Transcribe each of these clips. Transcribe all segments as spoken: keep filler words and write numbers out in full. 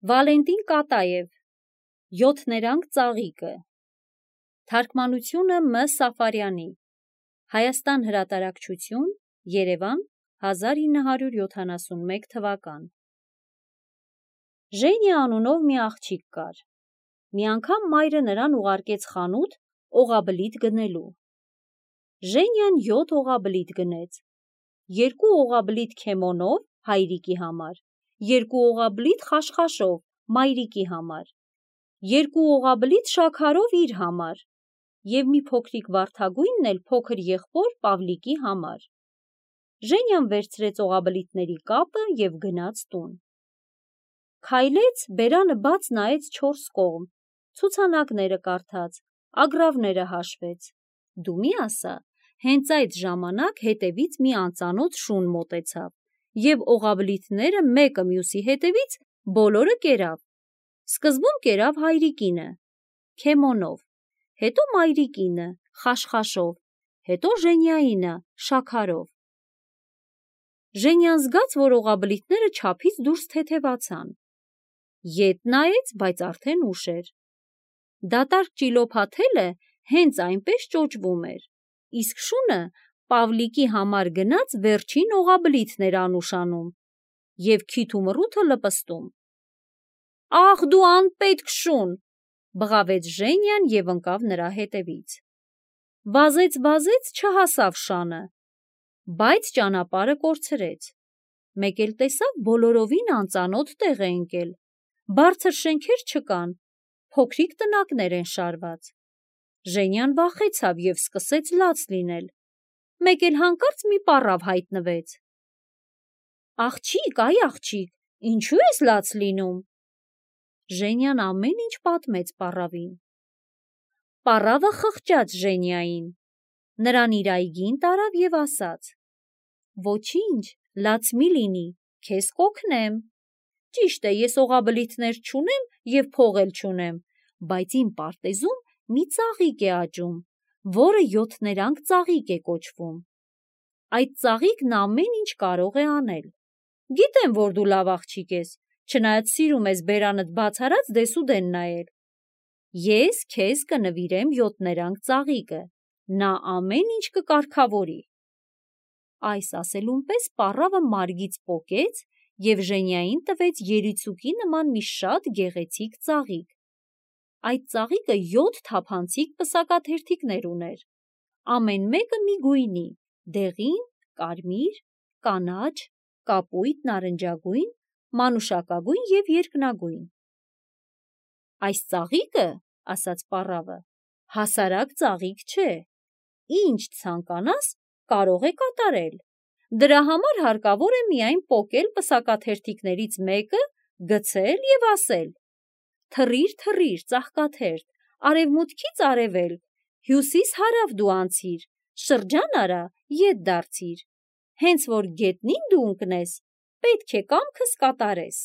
Վալենտին Կատաև Յոթներանգ ծաղիկը Թարգմանությունը Մ. Սաֆարյանի Հայաստան հրատարակչություն Երևան հազար ինը հարյուր յոթանասունմեկ թվական Ժենիա անունով մի աղջիկ կար։ Մի անգամ մայրը նրան ուղարկեց խանութ օղաբլիթ գնելու։ Ժենիան յոթ օղաբլիթ գնեց, երկու օղաբլիթ քեմոնով հայրիկի համար, երկու օղաբլիթ խաշխաշով մայրիկի համար, երկու օղաբլիթ շաքարով իր համար և մի փոքրիկ վարդագույնն էլ փոքր եղբոր Պավլիկի համար։ Ժենիան վերցրեց օղաբլիթների կապը և գնաց տուն։ Քայլեց, բերանը բաց նայեց չորս կողմ, ցուցանակները կարդաց, ագռավները հաշվեց։ Դու մի ասա, հենց այդ ժամանակ հետևից մի անծանոթ շուն մոտեցավ և օղաբլիթները մեկը մյուսի հետևից բոլորը կերավ։ Սկզբում կերավ հայրիկինը, քեմոնով, հետո մայրիկինը, խաշխաշով, հետո Ժենիայինը, շաքարով։ Ժենիան զգաց, որ օղաբլիթները չափից դուրս թեթևացան։ Ետ նայեց, բայց արդեն ուշ էր։ Դատարկ ճիլոփաթելը հենց այնպես ճոճվում էր, իսկ շունը Պավլիկի համար գնած վերջին օղաբլիթն էր անուշանում և քիթ ու մռութը լպստում։ «Ախ դու անպետք շուն», բղավեց Ժենիան և ընկավ նրա հետևից։ Վազեց-վազեց, չհասավ շանը, բայց ճանապարհը կորցրեց։ Մեկ էլ տեսավ բոլորովին անծանոթ տեղ է ընկել, բարձր շենքեր չկան, փոքրիկ տնակներ են շարված։ Ժենիան վախեցավ և սկսեց լաց լինել։ Մեկ էլ հանկարծ մի պառավ հայտնվեց։ «Աղջիկ, այ աղջիկ, ինչու ես լաց լինում»։ Ժենիան ամեն ինչ պատմեց պառավին։ Պառավը խղճաց Ժենիային, նրան իր այգին տարավ և ասաց. «Ոչինչ, լաց մի լինի, քեզ կօգնեմ։ Ճիշտ է, ես օղաբլիթներ չունեմ և փող էլ չունեմ, բայց իմ պարտեզում մի ծաղիկ է աճում, որը յոթներանգ ծաղիկ է կոչվում։ Այդ ծաղիկն ամեն ինչ կարող է անել։ Գիտեմ, որ դու լավ աղջիկ ես, չնայած սիրում ես բերանդ բաց արած դեսուդեն նայել։ Ես քեզ կնվիրեմ յոթներանգ ծաղիկը, նա ամեն ինչ կկարգավորի»։ Այս ասելուն պես պառավը մարգից պոկեց և Ժենիային տվեց երիցուկի նման մի շատ գեղեցիկ ծաղիկ։ Այդ ծաղիկը յոթ թափանցիկ պսակաթերթիկներ ուներ, ամեն մեկը մի գույնի՝ դեղին, կարմիր, կանաչ, կապույտ, նարնջագույն, մանուշակագույն և երկնագույն։ «Այս ծաղիկը, – ասաց պառավը, – հասարակ ծաղիկ չէ, ինչ ցանկանաս, կարող է կատարել։ Դրա համար հարկավոր է միայն պոկել պսակաթերթիկներից մեկը, գցել և ասել. «Թռիր, թռիր, ծաղկաթերթ, արևմուտքից արևելք, հյուսիս-հարավ դու անցիր, շրջան արա, ետ դարձիր։ Հենց որ գետնին դու ընկնես, պետք է կամքս կատարես»։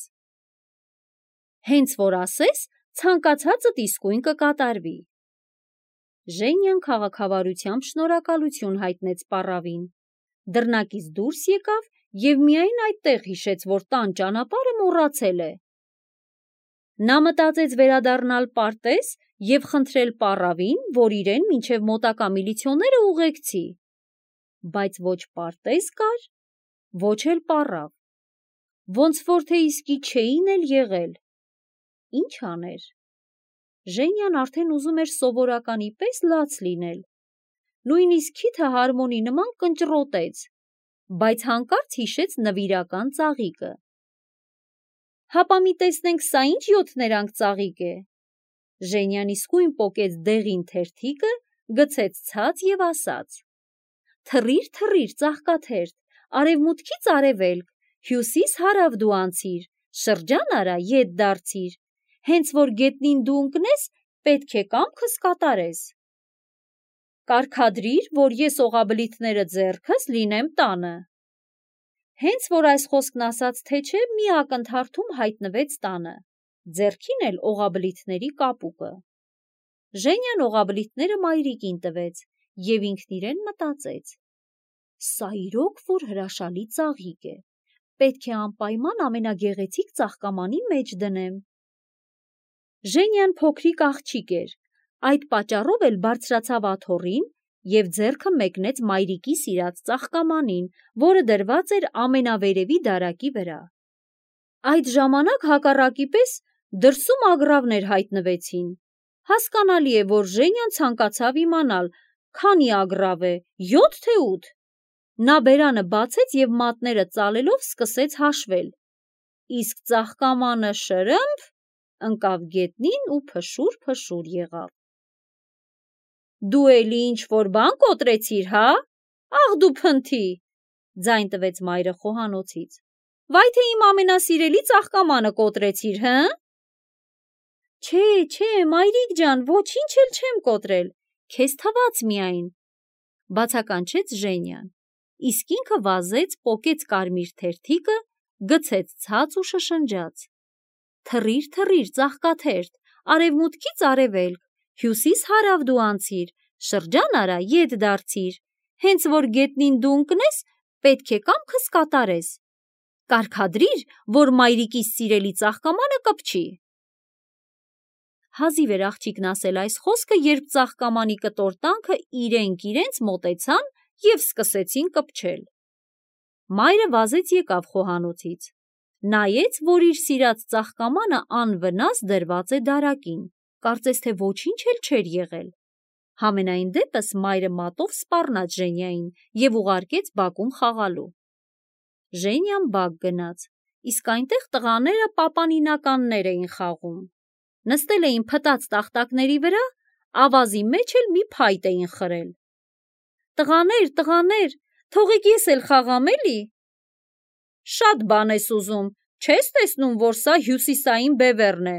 Հենց որ ասես, ցանկացածդ իսկույն կկատարվի։ Ժենիան քաղաքավարությամբ շնորհակալություն հայտնեց պառավին, դռնակից դուրս եկավ և միայն այդտեղ հիշեց, որ տան ճանապարհը մոռացել է։ Նա մտածեց վերադառնալ պարտեզ և խնդրել պառավին, որ իրեն մինչև մոտակա միլիցիոները ուղեկցի։ Բայց ոչ պարտեզ կար, ոչ էլ պառավ, ոնց որ թե իսկի չէին էլ եղել։ Ինչ աներ։ Ժենիան արդեն ուզում էր սովորականի պես լաց լինել, նույնիսկ քիթը հարմոնի նման կնճռոտեց, բայց հանկարծ հիշեց նվիրական ծաղիկը։ «Հապա մի տեսնենք, սա ինչ յոթներանգ ծաղիկ է»։ Ժենիան իսկույն պոկեց դեղին թերթիկը, գցեց ցած և ասաց. «Թռիր, թռիր, ծաղկաթերթ, արևմուտքից արևելք, հյուսիս-հարավ դու անցիր, շրջան արա, ետ դարձիր։ Հենց որ գետնին դու ընկնես, պետք է կամքս կատարես։ Կարգադրիր, որ ես օղաբլիթները ձեռքս լինեմ տանը»։ Հենց որ այս խոսքն ասաց թե չէ, մի ակնթարթում հայտնվեց տանը, ձեռքին էլ օղաբլիթների կապուկը։ Ժենիան օղաբլիթները մայրիկին տվեց և ինքն իրեն մտածեց. «Սա իրոք որ հրաշալի ծաղիկ է, պետք է անպայման ամենագեղեցիկ ծաղկամանի մեջ դնեմ։ Ժենյան փոքրիկ աղջիկ էր, այդ պատճառով էլ բարձրացավ աթոռին և ձեռքը մեկնեց մայրիկի սիրած ծաղկամանին, որը դրված էր ամենավերևի դարակի վրա։ Այդ ժամանակ հակառակի պես դրսում ագռավներ հայտնվեցին։ Հասկանալի է, որ Ժենյան ցանկացավ իմանալ, քանի ագռավ է, յոթ թե ութ։ Նա բերանը բացեց և մատները ծալելով սկսեց հաշվել, իսկ ծաղկամանը շրըմփ ընկավ գետնին ու փշուր-փշուր եղավ։ Դու էլի ինչ-որ բան կոտրեցիր, հա՞, աղ դու փնթի, ձայն տվեց մայրը խոհանոցից։ Վայ թե իմ ամենասիրելի ծաղկամանը կոտրեցիր, հը՞։ Չէ, չէ, մայրիկ ջան, ոչինչ էլ չեմ կոտրել, քեզ թվաց միայն, բացականչեց Ժենյան, իսկ ինքը վազեց, պոկեց կարմիր թերթիկը, գցեց ցած ու շշնջաց. Թռիր, թռիր, ծաղկաթերթ, արևմուտքից արևելք, հյուսիս-հարավ դու անցիր, շրջան արա, ետ դարձիր, հենց որ գետնին դու ընկնես, պետք է կամքս կատարես, կարգադրիր, որ մայրիկիս սիրելի ծաղկամանը կպչի։ Հազիվ էր աղջիկն ասել այս խոսքը, երբ ծաղկամանի կտոր-տանքը իրենք իրենց մոտեցան և սկսեցին կպչել։ Մայրը վազեց եկավ խոհանոցից, նայեց, որ իր սիրած ծաղկամանը անվնաս դրված է դարակին, կարծես թե ոչինչ էլ չէր եղել։ Համենայն դեպս մայրը մատով սպառնաց Ժենյային և ուղարկեց բակում խաղալու։ Ժենյան բակ գնաց, իսկ այնտեղ տղաները պապանինականներ էին խաղում։ Նստել էին փտած տախտակների վրա, ավազի մեջ էլ մի փայտ էին խրել։ Տղաներ, տղաներ, թողեք ես էլ խաղամ էլի։ Շատ բան ես ուզում, չես տեսնում, որ սա հյուսիսային բևեռն է,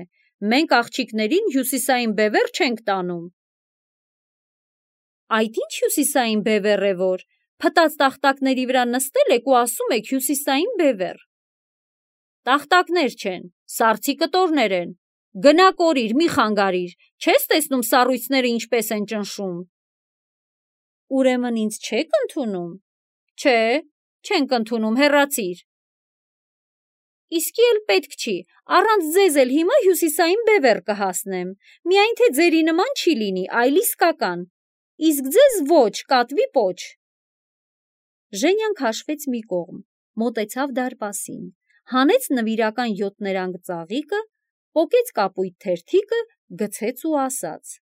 մենք աղջիկներին հյուսիսային բևեռ չենք տանում։ Այդ ինչ հյուսիսային բևեռ է որ, փտած տախտակների վրա նստել եք ու ասում եք հյուսիսային բևեռ։ Տախտակներ չեն, սառցի կտորներ են, գնա կորիր, մի խանգարիր, չես տեսնում սառույցները ինչպես են ճնշում։ Ուրեմն ինձ չեք ընդունում։ Չէ, չենք ընդունում, հեռացիր։ Իսկի էլ պետք չի, առանց ձեզ էլ հիմա հյուսիսային բևեռ կհասնեմ, միայն թե ձերի նման չի լինի, այլ իսկական, իսկ ձեզ ոչ, կատվի պոչ։ Ժենյան քաշվեց մի կողմ, մոտեցավ դարպասին, հանեց նվիրական յոթներանգ ծաղիկը, պոկեց կապույտ թերթիկը, գցեց ու ասաց.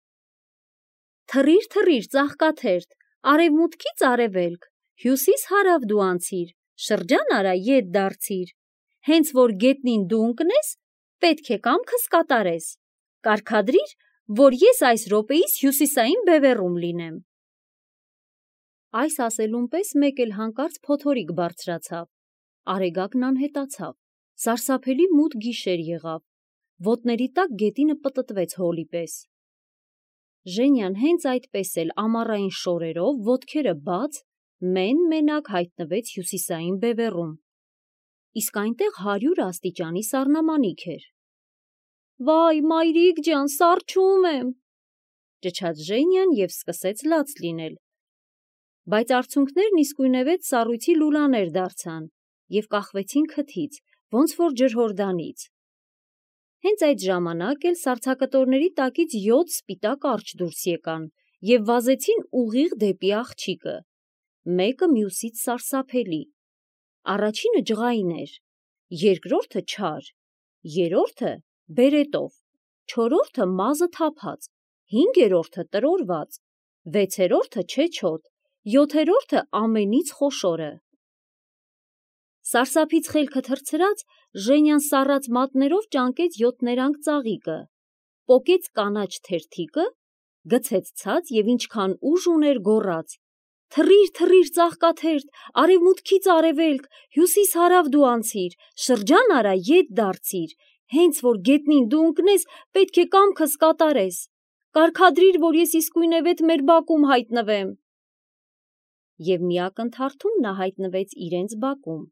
Թռիր, թռիր, ծաղկաթերթ, արևմուտքից արևելք, հյուսիս-հարավ դու անցիր, շրջան արա, ետ դարձիր, հենց որ գետնին դու ընկնես, պետք է կամքս կատարես, կարգադրիր, որ ես այս րոպեիս հյուսիսային բևեռում լինեմ։ Այս ասելուն պես մեկ էլ հանկարծ փոթորիկ բարձրացավ, Արեգակն անհետացավ, սարսափելի մութ գիշեր եղավ, ոտների տակ գետինը պտտվեց հոլի պես։ Ժենյան հենց այդպես էլ ամառային շորերով, ոտքերը բաց, մեն-մենակ հայտնվեց հյուսիսային բևեռում, իսկ այնտեղ հարյուր աստիճանի սառնամանիք էր։ Վայ, մայրիկ ջան, սառչում եմ, ճչաց Ժենյան և սկսեց լաց լինել, բայց արցունքներն իսկույնևեթ սառույցի լուլաներ դարձան և կախվեցին քթից, ոնց որ ջրհորդանից։ Հենց այդ ժամանակ էլ սառցակտորների տակից յոթ սպիտակ արջը դուրս եկան և վազեցին ուղիղ դեպի աղջիկը, մեկը մյուսից սարսափելի։ Առաջինը ջղային էր, երկրորդը չար, երրորդը բերետով, չորրորդը մազը թափած, հինգերորդը տրորված, վեցերորդը չեչոտ, յոթերորդը ամենից խոշորը։ Սարսափից խելքը թռցրած, Ժենյան սառած մատներով ճանկեց յոթներանգ ծաղիկը, պոկեց կանաչ թերթիկը, գցեց ցած և ինչքան ուժ ուներ գոռաց. Թռիր, թռիր, ծաղկաթերթ, արևմուտքից արևելք, հյուսիս-հարավ դու անցիր, շրջան արա, ետ դարձիր, հենց որ գետնին դու ընկնես, պետք է կամքս կատարես, կարգադրիր, որ ես իսկույնևեթ մեր բակում հայտնվեմ։ Եվ մի ակնթարթում նա հայտնվեց իրենց բակում,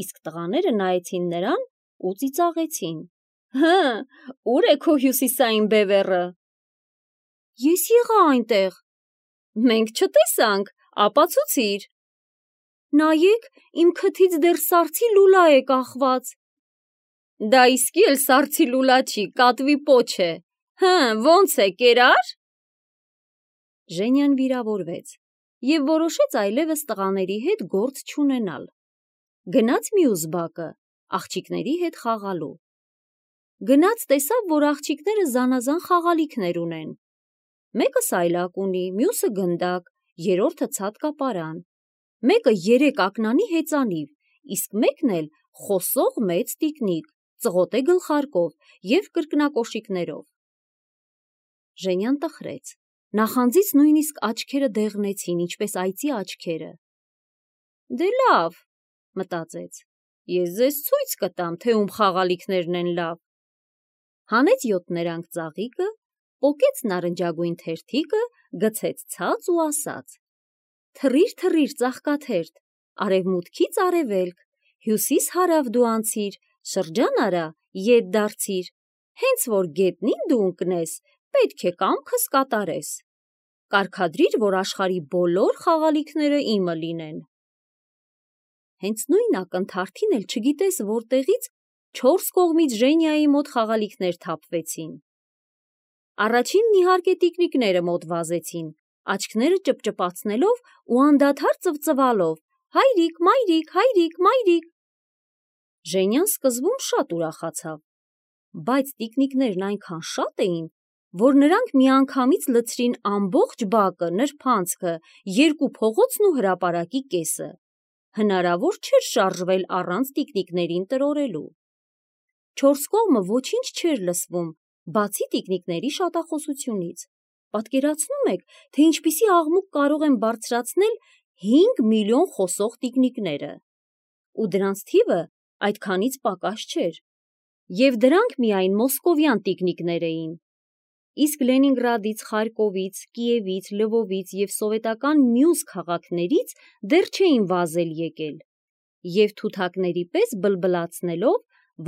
իսկ տղաները նայեցին նրան ու ծիծաղեցին. Հը, ուր է քո հյուսիսային բևեռը։ Ես եղա այնտեղ։ Մենք չտեսանք, ապացուցիր։ նայեք, իմ քթից դեռ սառցի լուլա է կախված։ Դա իսկի էլ սառցի լուլա չի, կատվի պոչ է։ Հը, ոնց է, կերա՞ր։ Ժենյան վիրավորվեց և որոշեց այլևս տղաների հետ գործ չունենալ։ Գնաց մյուս բակը, աղջիկների հետ խաղալու։ Գնաց տեսավ, որ աղջիկները զանազան խաղալիքներ ունեն։ Մեկը սայլակ ունի, մյուսը գնդակ, երրորդը ցատկապարան, մեկը երեք ակնանի հեծանիվ, իսկ մեկն էլ խոսող մեծ տիկնիկ, ծղոտե գլխարկով և կրկնակոշիկներով։ Ժենյան տխրեց, նախանձից նույնիսկ աչքերը դեղնեցին, ինչպես այծի աչքերը։ Դե լավ, մտածեց, ես ձեզ ցույց կտամ, թե ում խաղալիքներն են լավ։ Հանեց յոթներանգ ծաղիկը, պոկեց նարնջագույն թերթիկը, գցեց ցած ու ասաց. թռիր, թռիր, ծաղկաթերթ, արևմուտքից արևելք, հյուսիս հարավ դու անցիր, շրջան արա, ետ դարձիր, հենց որ գետնին դու ընկնես, պետք է կամքս կատարես։ Կարգադրիր, որ աշխարհի բոլոր խաղալիքները իմը լինեն։ Հենց նույն ակնթարթին էլ չգիտես որտեղից չորս կողմից Ժենյայի մոտ խաղալիքներ թափվեցին։ Առաջինն իհարկե տիկնիկները մոտ վազեցին, աչքները ճպճպացնելով ու անդադար ծվծվալով. հայրիկ, մայրիկ, հայրիկ, մայրիկ։ Ժենյան սկզբում շատ ուրախացավ, բայց տիկնիկներն այնքան շատ էին, որ նրանք միանգամից լցրին ամբողջ բակը, նրբանցքը, երկու փողոցն ու հրապարակի կեսը։ Հնարավոր չէր շարժվել առանց տիկնիկներին տրորելու։ Չորս կողմը ոչինչ չէր լսվում, բացի տիկնիկների շատախոսությունից։ Պատկերացնո՞ւմ եք, թե ինչպիսի աղմուկ կարող են բարձրացնել հինգ միլիոն խոսող տիկնիկները։ Ու դրանց թիվը այդքանից պակաս չէր։ Եվ դրանք միայն մոսկովյան տիկնիկներ էին։ Իսկ Լենինգրադից, Խարկովից, Կիևից, Լվովից և սովետական մյուս քաղաքներից դեռ չէին վազել եկել, և թութակների պես բլբլացնելով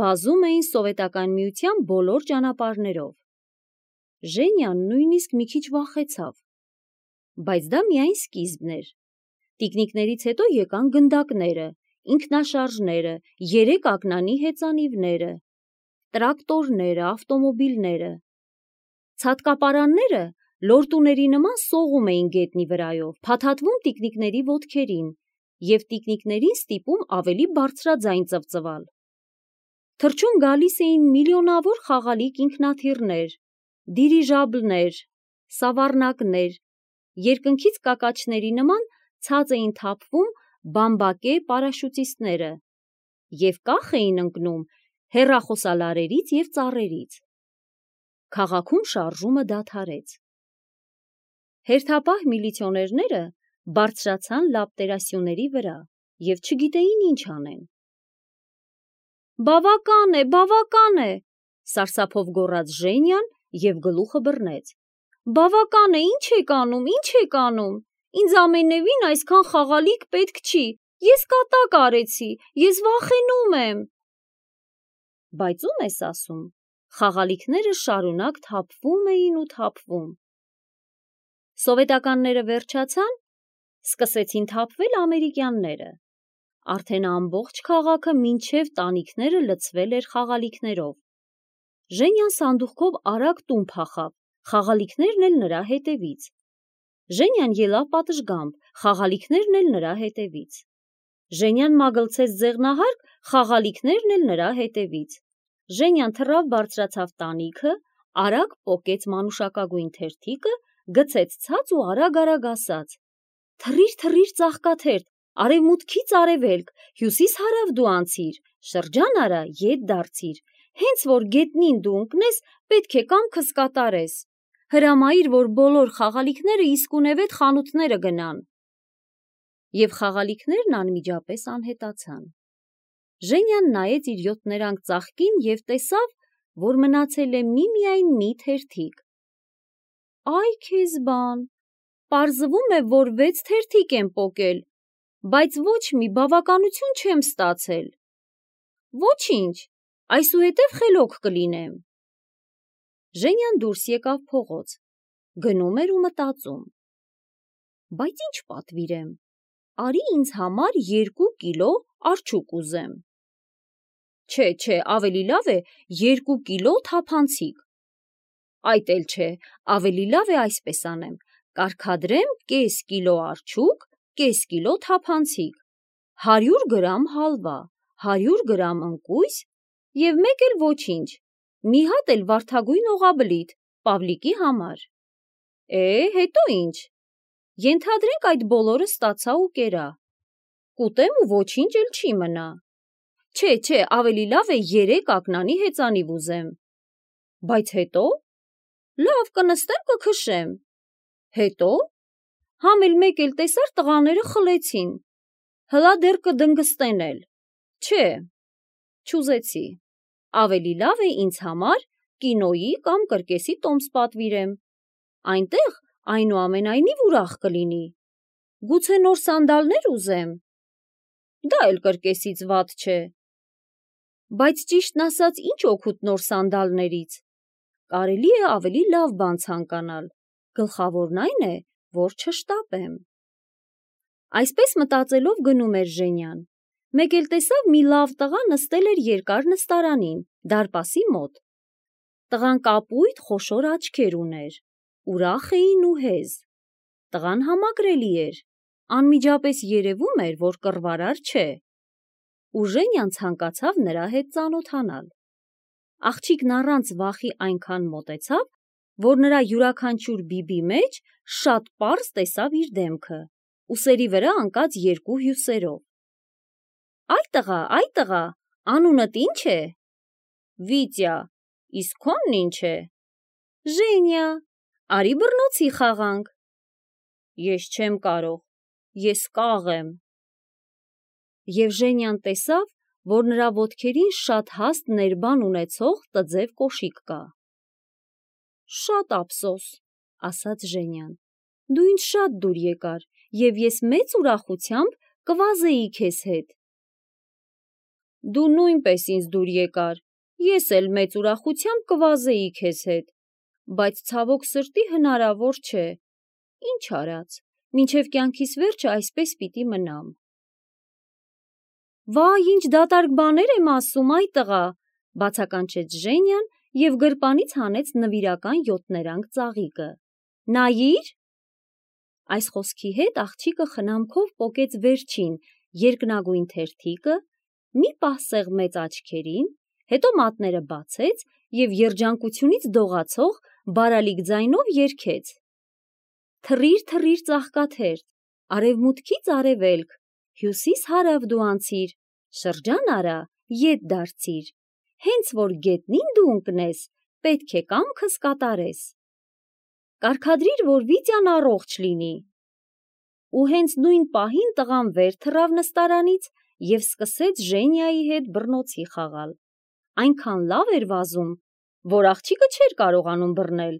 վազում էին Սովետական Միության բոլոր ճանապարհներով։ Ժենյան նույնիսկ մի քիչ վախեցավ, բայց դա միայն սկիզբն էր։ Տիկնիկներից հետո եկան գնդակները, ինքնաշարժները, երեք ակնանի հեծանիվները, տրակտորները, ավտոմոբիլները։ Ցատկապարանները լորտուների նման սողում էին գետնի վրայով, փաթաթվում տիկնիկների ոտքերին և տիկնիկներին ստիպում ավելի բարձրաձայն ծվծվալ։ Թռչուն գալիս էին միլիոնավոր խաղալիք ինքնաթիռներ, դիրիժաբլներ, սավառնակներ, երկնքից կակաչների նման ցած էին թափվում բամբակե պարաշուտիստները և կախ էին ընկնում հեռախոսալարերից և ծառերից։ Քաղաքում շարժումը դադարեց։ Հերթապահ միլիցիոներները բարձրացան լապտերասյուների վրա և չգիտեին ինչ անեն։ Բավական է, բավական է, սարսափով գոռաց Ժենյան և գլուխը բռնեց։ Բավական է, ինչ եք անում, ինչ եք անում, ինձ ամենևին այսքան խաղալիք պետք չի, ես կատակ արեցի, ես վախենում եմ։ Բայց ո՞ւմ ես ասում, խաղալիքները շարունակ թափվում էին ու թափվում։ Սովետականները վերջացան, սկսեցին թափվել ամերիկյանները։ Արդեն ամբողջ քաղաքը մինչև տանիքները լցվել էր խաղալիքներով։ Ժենյան սանդուղքով արագ տուն փախավ, խաղալիքներն էլ նրա հետևից։ Ժենյան ելավ պատշգամբ, խաղալիքներն էլ նրա հետևից։ Ժենյան մագլցեց ձեղնահարկ, խաղալիքներն էլ նրա հետևից։ Ժենյան թռավ բարձրացավ տանիքը, արագ պոկեց մանուշակագույն թերթիկը, գցեց ցած ու արագ-արագ ասաց. թռիր, թռիր, ծաղկաթերթ, արևմուտքից արևելք, հյուսիս հարավ դու անցիր, շրջան արա, ետ դարձիր, հենց որ գետնին դու ընկնես, պետք է կամքս կատարես։ Հրամայիր, որ բոլոր խաղալիքները իսկունևեթ խանութները գնան։ Եվ խաղալիքներն անմիջապես անհետացան։ Ժենյան նայեց իր յոթներանգ ծաղկին և տեսավ, որ մնացել է միմիայն մի թերթիկ։ Այ քեզ բան, պարզվում է, որ վեց թերթիկ եմ պոկել, բայց ոչ մի բավականություն չեմ ստացել։ Ոչինչ, այսուհետև խելոք կլինեմ։ Ժենյան դուրս եկավ փողոց, գնում էր ու մտածում. բայց ինչ պատվիրեմ, արի ինձ համար երկու կիլո արջուկ ուզեմ։ Չէ, չէ, ավելի լավ է երկու կիլո թափանցիկ։ Այդ էլ չէ, ավելի լավ է այսպես անեմ, կարգադրեմ կես կիլո արջուկ, կես կիլո թափանցիկ, հարյուր գրամ հալվա, հարյուր գրամ ընկույզ և մեկ էլ ոչինչ, մի հատ էլ վարդագույն օղաբլիթ Պավլիկի համար։ Է, հետո ինչ։ Ենթադրենք այդ բոլորը ստացա ու կերա։ Կուտեմ ու ոչինչ էլ չի մնա։ Չէ, չէ, ավելի լավ է երեք ակնանի հեծանիվ ուզեմ։ Բայց հետո։ Լավ, կնստեմ կքշեմ։ Հետո։ Համ էլ մեկ էլ տեսար տղաները խլեցին։ Հլա դեռ կդնգստեն էլ։ Չէ, չուզեցի։ Ավելի լավ է ինձ համար կինոյի կամ կրկեսի տոմս պատվիրեմ։ Այնտեղ այնուամենայնիվ ուրախ կլինի։ Գուցե նոր սանդալներ ուզեմ։ Դա էլ կրկեսից վատ չէ։ Բայց ճիշտն ասած ինչ օգուտ նոր սանդալներից։ Կարելի է ավելի լավ բան ցանկանալ, գլխավորն այն է, որ չշտապեմ։ Այսպես մտածելով գնում էր Ժենյան, մեկ էլ տեսավ մի լավ տղա նստել էր երկար նստարանին, դարպասի մոտ։ Տղան կապույտ խոշոր աչքեր ուներ, ուրախ էին ու հեզ։ Տղան համակրելի էր, անմիջապես երևում էր, որ կռվարար չէ։ Ու Ժենյան ցանկացավ նրա հետ ծանոթանալ։ Աղջիկն առանց վախի այնքան մոտեցավ, որ նրա յուրաքանչյուր բիբի մեջ շատ պարզ տեսավ իր դեմքը, ուսերի վրա ընկած երկու հյուսերով։ Այ տղա, այ տղա, անունդ ի՞նչ է։ Վիտյա, իսկ քոնն ի՞նչ է։ Ժենյա, արի բռնոցի խաղանք։ Ես չեմ կարող, ես կաղ եմ։ Եվ Ժենյան տեսավ, որ նրա ոտքերին շատ հաստ ներբան ունեցող տձև կոշիկ կա։ Շատ ափսոս, ասաց Ժենյան, դու ինձ շատ դուր եկար, և ես մեծ ուրախությամբ կվազեի քեզ հետ։ Դու նույնպես ինձ դուր եկար, ես էլ մեծ ուրախությամբ կվազեի քեզ հետ, բայց ցավոք սրտի հնարավոր չէ, ինչ արած, մինչև կյանքիս վերջը այսպես պիտի մնամ։ Վայ, ինչ դատարկ բաներ եմ ասում, այ տղա, բացականչեց Ժենյան և գրպանից հանեց նվիրական յոթներանգ ծաղիկը։ Նայիր։ Այս խոսքի հետ աղջիկը խնամքով պոկեց վերջին երկնագույն թերթիկը, մի պահ սեղմեց աչքերին, հետո մատները բացեց և երջանկությունից դողացող բարալիկ ձայնով երգեց. Թռիր, թռիր ծաղկաթերթ, արևմուտքից արևելք, հյուսիս հարավ դու անցիր, շրջան արա, ետ դարձիր, հենց որ գետնին դու ընկնես, պետք է կամքս կատարես։ Կարգադրիր, որ Վիտյան առողջ լինի։ Ու հենց նույն պահին տղան վեր թռավ նստարանից և սկսեց Ժենյայի հետ բռնոցի խաղալ։ Այնքան լավ էր վազում, որ աղջիկը չէր կարողանում բռնել,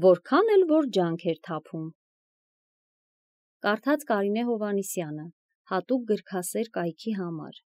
որքան էլ որ ջանք էր թափում։ Կարդաց Կարինե Հովհաննիսյանը, հատուկ գրքասեր կայքի համար։